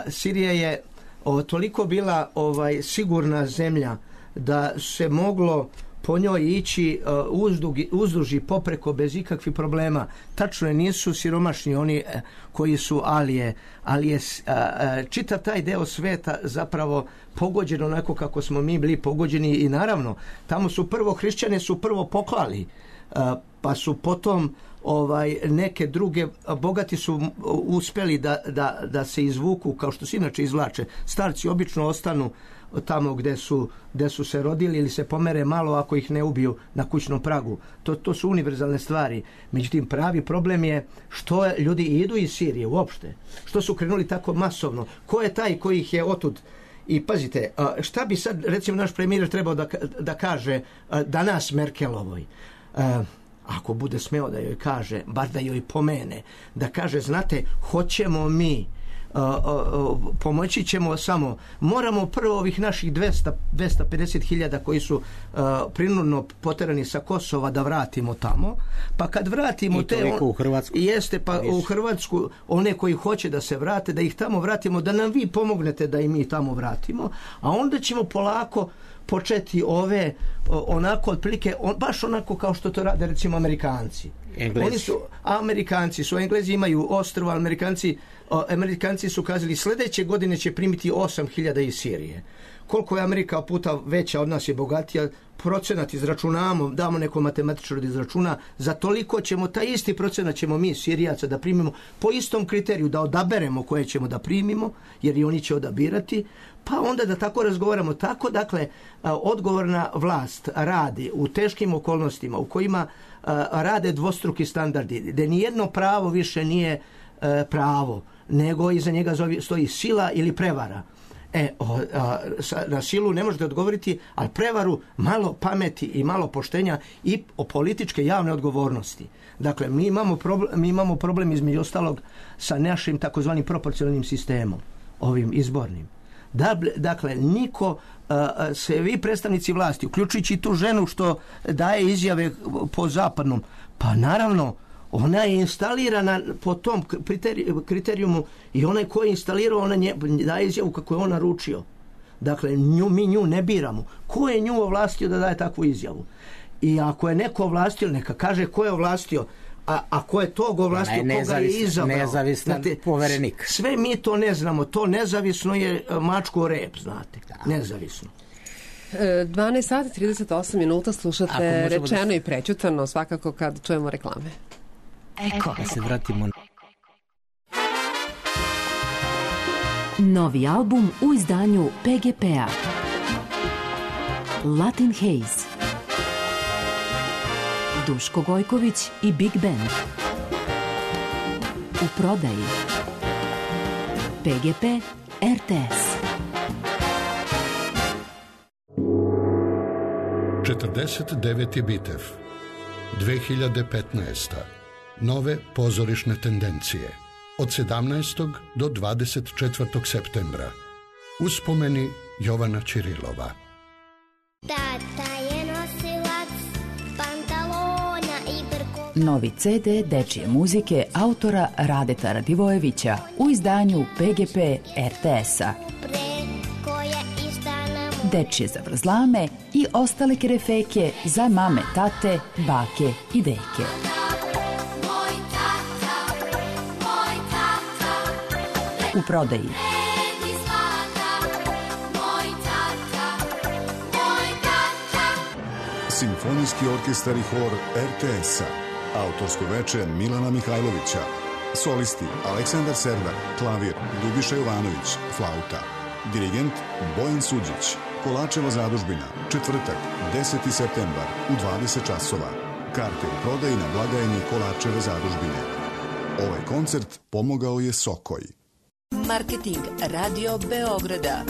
Speaker 2: Sirija je o, toliko bila ovaj sigurna zemlja da se moglo po njoj ići uh, uzdugi, uzduži popreko bez ikakvih problema. Tačno je, nisu siromašni oni uh, koji su alije, ali je uh, uh, čitav taj deo sveta zapravo pogođen onako kako smo mi bili pogođeni i naravno, tamo su prvo hrišćane su prvo poklali, uh, pa su potom ovaj neke druge, bogati su uspeli da, da, da se izvuku kao što se inače izvlače. Starci obično ostanu tamo gde su, gde su se rodili ili se pomere malo ako ih ne ubiju na kućnom pragu. To, to su univerzalne stvari. Međutim, pravi problem je što ljudi idu iz Sirije uopšte. Što su krenuli tako masovno. Ko je taj koji ih je otud? I pazite, šta bi sad recimo naš premijer trebao da, da kaže danas Merkelovoj? Ako bude smeo da joj kaže, bar da joj pomene, da kaže, znate, hoćemo mi, uh, uh, pomoći ćemo samo, moramo prvo ovih naših dvesta, dvesta pedeset hiljada koji su uh, prinudno poterani sa Kosova da vratimo tamo, pa kad vratimo
Speaker 4: I
Speaker 2: te...
Speaker 4: On, u Hrvatsku.
Speaker 2: Jeste, pa Nisu. u Hrvatsku, one koji hoće da se vrate, da ih tamo vratimo, da nam vi pomognete da i mi tamo vratimo, a onda ćemo polako početi ove onako otprilike on, baš onako kao što to rade recimo Amerikanci.
Speaker 4: Englezi.
Speaker 2: Oni su Amerikanci, su Englezi imaju ostrvo, Amerikanci o, Amerikanci su kazali sljedeće godine će primiti osam hiljada iz Sirije. Koliko je Amerika puta veća od nas je bogatija, procenat izračunamo, damo neko matematičar da izračuna, za toliko ćemo, taj isti procenat ćemo mi Sirijaca da primimo po istom kriteriju, da odaberemo koje ćemo da primimo, jer i oni će odabirati, pa onda da tako razgovaramo. Tako, dakle, odgovorna vlast radi u teškim okolnostima u kojima rade dvostruki standardi, gde nijedno pravo više nije pravo, nego iza njega stoji sila ili prevara. E, o, a, sa, na silu ne možete odgovoriti, ali prevaru malo pameti i malo poštenja i o političke javne odgovornosti. Dakle, mi imamo problem, mi imamo problem između ostalog sa našim takozvanim proporcionalnim sistemom, ovim izbornim. Da, dakle, niko, a, se vi predstavnici vlasti, uključujući tu ženu što daje izjave po zapadnom, pa naravno, ona je instalirana po tom kriterijumu i onaj ko je instalirao, ona nje, daje izjavu kako je on naručio. Dakle, nju, mi nju ne biramo. Ko je nju ovlastio da daje takvu izjavu? I ako je neko ovlastio, neka kaže ko je ovlastio, a ako je tog ovlastio, ne, koga je izabrao.
Speaker 4: Nezavistan znate, poverenik.
Speaker 2: Sve mi to ne znamo. To nezavisno je mačko rep, znate. Da. Nezavisno.
Speaker 3: dvanaest sati trideset osam minuta slušate Rečeno da... i prećutano, svakako kad čujemo reklame.
Speaker 5: Eko.
Speaker 4: Da se vratimo.
Speaker 5: Novi album u izdanju P G P-a. Latin Haze. Duško Gojković i Big Band. U prodaji. P G P R T S.
Speaker 6: četrdeset deveti Bitev. dve hiljade petnaesta. Nove pozorišne tendencije. Od sedamnaestog do dvadeset četvrtog septembra. Uspomeni Jovana Ćirilova.
Speaker 7: Tata je nosilac pantalona i brko...
Speaker 5: Novi ce de dečije muzike autora Radeta Radivojevića u izdanju P G P R T S-a. Dečije zavrzlame i ostale kerefeke za mame, tate, bake i deke. U prodaji
Speaker 1: Simfonijski orkestar i hor R T S-a, autorsko veče Milana Mihajlovića, solisti Aleksandar Serdar, klavir Ljubiša Jovanović, flauta, dirigent Bojan Suđić, Kolačeva zadužbina, četvrtak, deseti septembar u dvadeset časova. Karte u prodaji na blagajni Kolačeve zadužbine. Ovaj koncert pomogao je Sokoj.
Speaker 8: Marketing Radio Beograda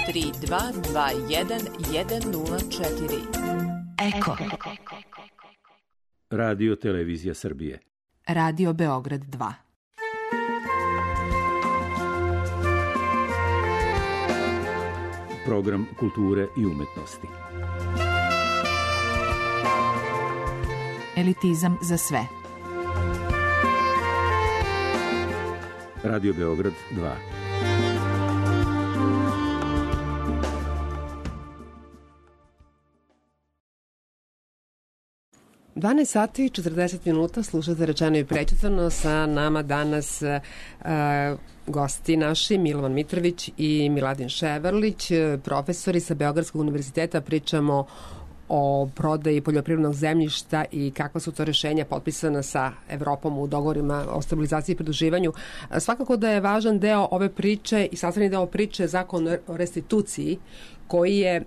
Speaker 8: tri dva dva jedan jedan nula četiri.
Speaker 5: Eko.
Speaker 9: Radio Televizija Srbije.
Speaker 5: Radio Beograd dva.
Speaker 9: Program kulture i umetnosti.
Speaker 5: Elitizam za sve.
Speaker 9: Radio Beograd dva.
Speaker 3: dvanaest sati i četrdeset minuta, slušate Rečeno i prećutano. Sa nama danas uh, gosti naši Milovan Mitrović i Miladin Ševarlić, profesori sa Beogradskog univerziteta. Pričamo o prodaji poljoprivrednog zemljišta i kakva su to rešenja potpisana sa Evropom u dogovorima o stabilizaciji i pridruživanju. Svakako da je važan deo ove priče i sastavni deo priče Zakon o restituciji, koji je,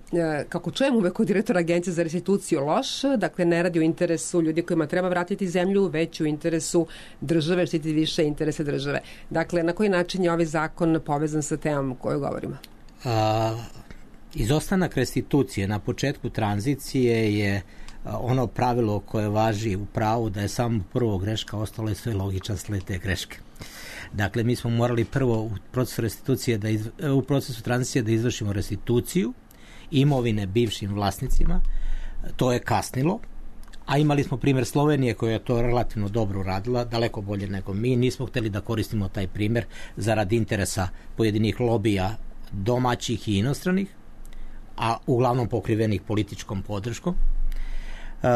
Speaker 3: kako čujem uvek od direktora Agencije za restituciju, loš. Dakle, ne radi u interesu ljudi kojima treba vratiti zemlju, već u interesu države, štiti više interese države. Dakle, na koji način je ovaj zakon povezan sa temom o kojoj govorimo?
Speaker 4: A, izostanak restitucije na početku tranzicije je ono pravilo koje važi u pravu, da je samo prvo greška, ostalo je sve logičan sled te greške. Dakle, mi smo morali prvo u procesu restitucije da izv... u procesu tranzicije da izvršimo restituciju imovine bivšim vlasnicima. To je kasnilo, a imali smo primjer Slovenije koja je to relativno dobro uradila, daleko bolje nego mi. Nismo hteli da koristimo taj primjer zarad interesa pojedinih lobija domaćih i inostranih, a uglavnom pokrivenih političkom podrškom. Uh,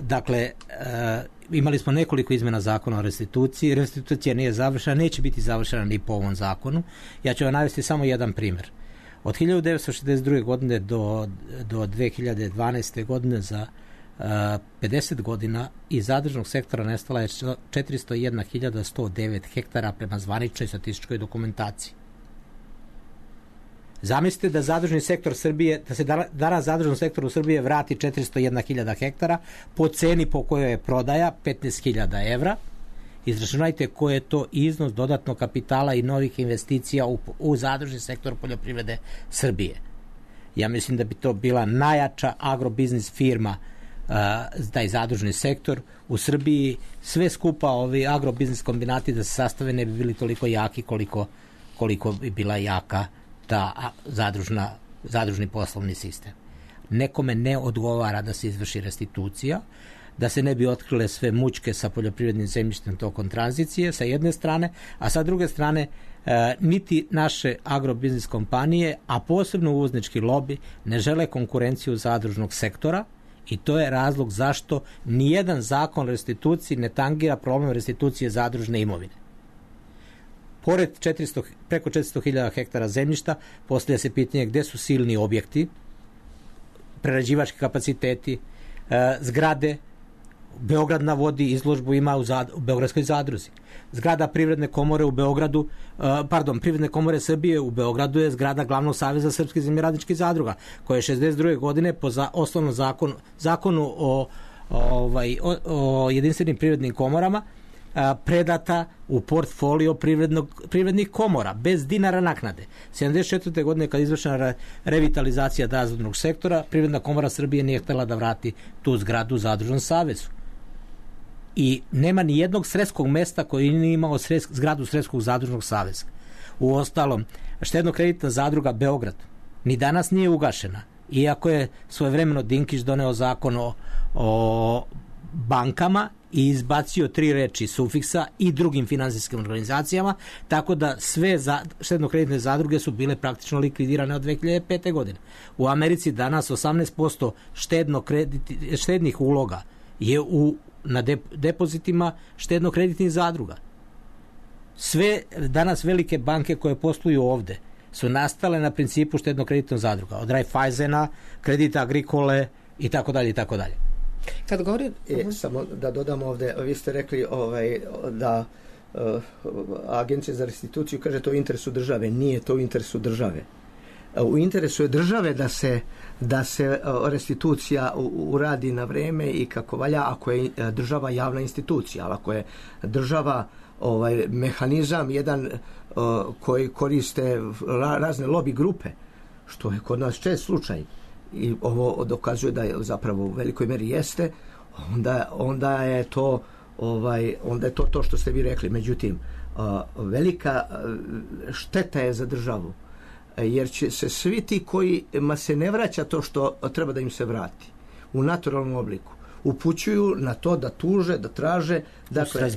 Speaker 4: dakle, uh, imali smo nekoliko izmena zakona o restituciji. Restitucija nije završena, neće biti završena ni po ovom zakonu. Ja ću vam navesti samo jedan primjer. Od hiljadu devetsto šezdeset druge godine do, do dve hiljade dvanaeste godine, za uh, pedeset godina, iz zadružnog sektora nestala je četiristo jedna hiljada sto devet hektara prema zvaničnoj statističkoj dokumentaciji. Zamislite da zadružni sektor Srbije, da se danas zadružnom sektoru Srbije vrati četiristo jedna hiljada hektara po ceni po kojoj je prodaja petnaest hiljada evra. Izračunajte koji je to iznos dodatnog kapitala i novih investicija u, u zadružni sektor poljoprivrede Srbije. Ja mislim da bi to bila najjača agrobiznis firma, uh, taj zadružni sektor u Srbiji. Sve skupa ovi agrobiznis kombinati da se sastave ne bi bili toliko jaki koliko, koliko bi bila jaka ta zadružna, zadružni poslovni sistem. Nekome ne odgovara da se izvrši restitucija, da se ne bi otkrile sve mučke sa poljoprivrednim zemljištem tokom tranzicije, sa jedne strane, a sa druge strane e, niti naše agrobiznis kompanije, a posebno uvoznički lobi, ne žele konkurenciju zadružnog sektora, i to je razlog zašto nijedan zakon o restituciji ne tangira problem restitucije zadružne imovine. Pored četiristo, preko četiristo hiljada hektara zemljišta, postavlja se pitanje gde su silni objekti, prerađivački kapaciteti, e, zgrade. Beograd na vodi izložbu ima u, zad, u Beogradskoj zadruzi. Zgrada Privredne komore u Beogradu, uh, pardon, Privredne komore Srbije u Beogradu je zgrada Glavnog saveza srpskih zemljoradničkih zadruga, koja je šezdeset druge godine po za, osnovnom zakonu, zakonu o, ovaj, o, o jedinstvenim privrednim komorama uh, predata u portfolio privrednog, privrednih komora, bez dinara naknade. sedamdeset četvrte godine kad je izvršena re, revitalizacija zadružnog sektora, Privredna komora Srbije nije htela da vrati tu zgradu Zadružnom savezu. I nema ni jednog sredskog mesta koji nije imao sres, zgradu Sredskog zadružnog saveza. U ostalom, štedno-kreditna zadruga Beograd ni danas nije ugašena, iako je svojevremeno Dinkić doneo zakon o, o bankama i izbacio tri reči sufiksa i drugim finansijskim organizacijama, tako da sve za, štedno-kreditne zadruge su bile praktično likvidirane od dve hiljade pete. godine. U Americi danas osamnaest posto štedno krediti, štednih uloga je u, na dep, depozitima štedno-kreditnih zadruga. Sve danas velike banke koje posluju ovde su nastale na principu štedno-kreditnog zadruga. Od Raiffeisena, Kredita Agricole i tako dalje i tako dalje.
Speaker 3: Kad govori...
Speaker 2: E, samo da dodam ovde, vi ste rekli ovaj, da uh, Agencija za restituciju kaže to u interesu države. Nije to u interesu države. U interesu je države da se, da se restitucija uradi na vreme i kako valja ako je država javna institucija, ali ako je država ovaj mehanizam jedan uh, koji koriste razne lobby grupe, što je kod nas čest slučaj, i ovo dokazuje da je zapravo u velikoj meri jeste, onda, onda je to ovaj, onda je to to što ste vi rekli. Međutim, uh, velika šteta je za državu, jer će se svi ti kojima se ne vraća to što treba da im se vrati u naturalnom obliku, upućuju na to da tuže, da traže, dakle,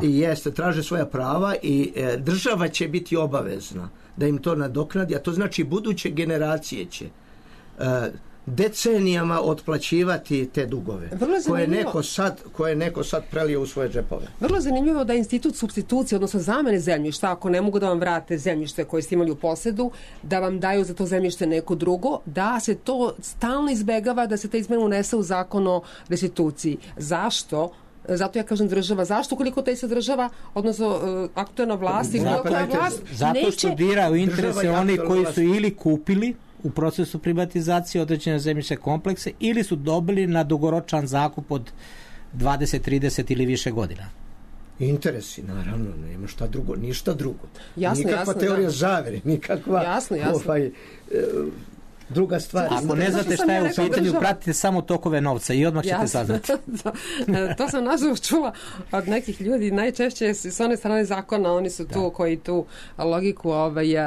Speaker 2: i jeste, traže svoja prava i e, država će biti obavezna da im to nadoknadi, a to znači buduće generacije će e, decenijama otplaćivati te dugove koje neko sad, koje neko sad prelio u svoje džepove.
Speaker 3: Vrlo zanimljivo da institut supstitucije, odnosno zamene zemljišta, ako ne mogu da vam vrate zemljište koje ste imali u posedu, da vam daju za to zemljište neko drugo, da se to stalno izbegava, da se ta izmena unese u zakon o restituciji. Zašto? Zato ja kažem država. Zašto? Koliko taj se država, odnosno uh, aktualna vlast i bilo koja vlast
Speaker 4: zato što dira u interese oni koji su ili kupili u procesu privatizacije određene zemljišne komplekse ili su dobili na dugoročan zakup od dvadeset, trideset ili više godina.
Speaker 2: Interesi, naravno, nema šta drugo, ništa drugo.
Speaker 3: Jasno,
Speaker 2: nikakva
Speaker 3: jasno,
Speaker 2: teorija
Speaker 3: da.
Speaker 2: zavere, nikakva
Speaker 3: jasno, jasno.
Speaker 2: Ovaj, e, druga stvar.
Speaker 4: Ako ne znate šta je u pitanju, država... pratite samo tokove novca i odmah ćete saznati.
Speaker 3: To sam nažalost čula od nekih ljudi, najčešće s one strane zakona, oni su tu da. koji tu logiku ovaj, uh,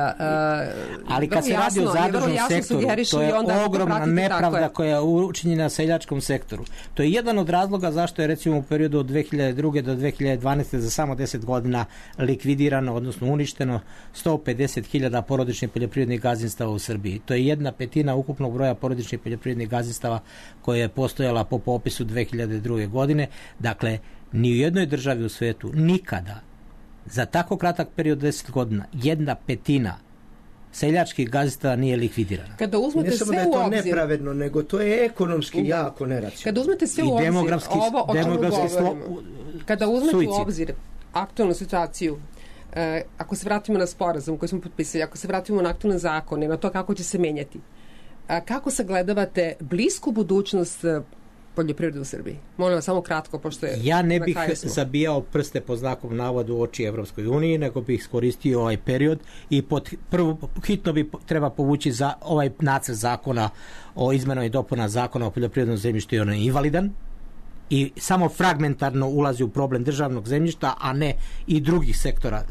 Speaker 4: ali kad se radi o zadružnom sektoru, to je ogromna nepravda je. koja je učinjena seljačkom sektoru. To je jedan od razloga zašto je recimo u periodu od dve hiljade druge do dve hiljade dvanaeste za samo deset godina likvidirano, odnosno uništeno sto pedeset hiljada porodičnih poljoprivrednih gazdinstava u Srbiji. To je jedna petina ukupnog broja porodičnih poljoprivrednih gazdinstava koja je postojala po popisu dve hiljade druge. godine. Dakle, ni u jednoj državi u svetu nikada za tako kratak period deset godina jedna petina seljačkih gazdinstava nije likvidirana.
Speaker 3: Kada uzmete
Speaker 2: ne samo
Speaker 3: sve
Speaker 2: da je to
Speaker 3: u obzir,
Speaker 2: nepravedno, nego to je ekonomski jako neracionalno.
Speaker 3: Kada uzmete sve u obzir, ovo o čemu govorimo, kada uzmete suicid. u obzir aktualnu situaciju, e, ako se vratimo na sporazum koji smo potpisali, ako se vratimo na aktualne zakone, na to kako će se menjati, a kako sagledavate blisku budućnost poljoprivrede u Srbiji? Molim vas samo kratko, pošto je...
Speaker 4: Ja ne bih zabijao prste po znakom navodu u oči Evropskoj uniji, nego bih iskoristio ovaj period i pod, prvo hitno bi treba povući za ovaj nacrt zakona o izmenama i dopuna zakona o poljoprivrednom zemljištu i on je invalidan i samo fragmentarno ulazi u problem državnog zemljišta, a ne i drugih sektora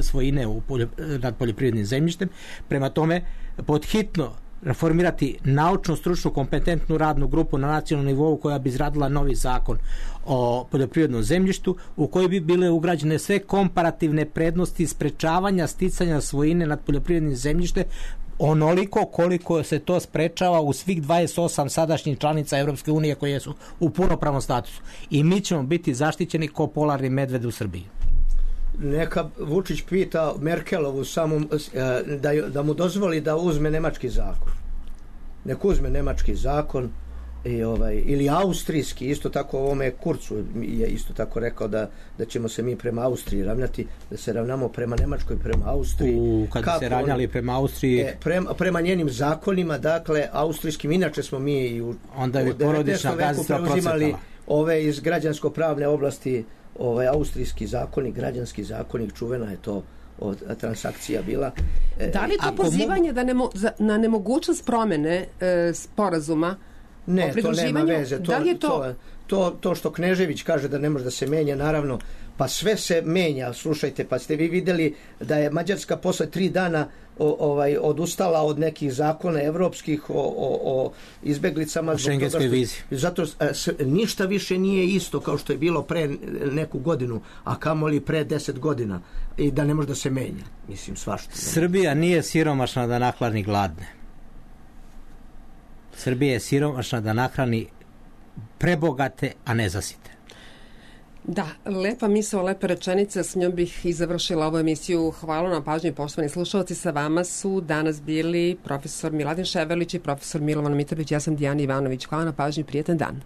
Speaker 4: svojine u poljo, nad poljoprivrednim zemljištem. Prema tome, pod hitno reformirati naučno, stručnu, kompetentnu radnu grupu na nacionalnom nivou koja bi izradila novi zakon o poljoprivrednom zemljištu u kojoj bi bile ugrađene sve komparativne prednosti sprečavanja sticanja svojine nad poljoprivrednim zemljištem onoliko koliko se to sprečava u svih dvadeset osam sadašnjih članica Evropske unije koje su u punopravnom statusu. I mi ćemo biti zaštićeni ko polarni medved u Srbiji.
Speaker 2: Neka Vučić pita Merkelovu samom, da, da mu dozvoli da uzme nemački zakon. Nek uzme nemački zakon i ovaj, ili austrijski, isto tako ovome Kurcu je isto tako rekao da, da ćemo se mi prema Austriji ravnati, da se ravnamo prema Nemačkoj, prema Austriji.
Speaker 4: U, kad se ravnali prema Austriji...
Speaker 2: E, prema, prema njenim zakonima, dakle, austrijskim, inače smo mi i u,
Speaker 4: onda u devetnaestom veku
Speaker 2: preuzimali ove iz građansko-pravne oblasti, ovaj austrijski zakonik, građanski zakonik, čuvena je to od transakcija bila.
Speaker 3: Da li je to pozivanje mogu... da nemo, za, na nemogućnost promene e, sporazuma
Speaker 2: ne, o pridruživanju? Ne, to nema veze. To,
Speaker 3: da li je to...
Speaker 2: to, to, to što Knežević kaže da ne može da se menja, naravno, pa sve se menja, slušajte, pa ste vi videli da je Mađarska posle tri dana o, ovaj, odustala od nekih zakona evropskih o, o, o izbeglicama.
Speaker 4: O šengenskoj vizi.
Speaker 2: Zato s, ništa više nije isto kao što je bilo pre neku godinu, a kamoli pre deset godina i da ne može da se menja. Mislim, svašta.
Speaker 4: Srbija nije siromašna da nahrani gladne. Srbija je siromašna da nahrani prebogate, a ne zasite.
Speaker 3: Da, lepa misao, lepa rečenica, s njom bih i završila ovu emisiju. Hvala na pažnju, poštovani slušalci. Sa vama su danas bili profesor Miladin Ševerlić i profesor Milovan Mitrović. Ja sam Dijana Ivanović. Hvala na pažnju, prijetan dan.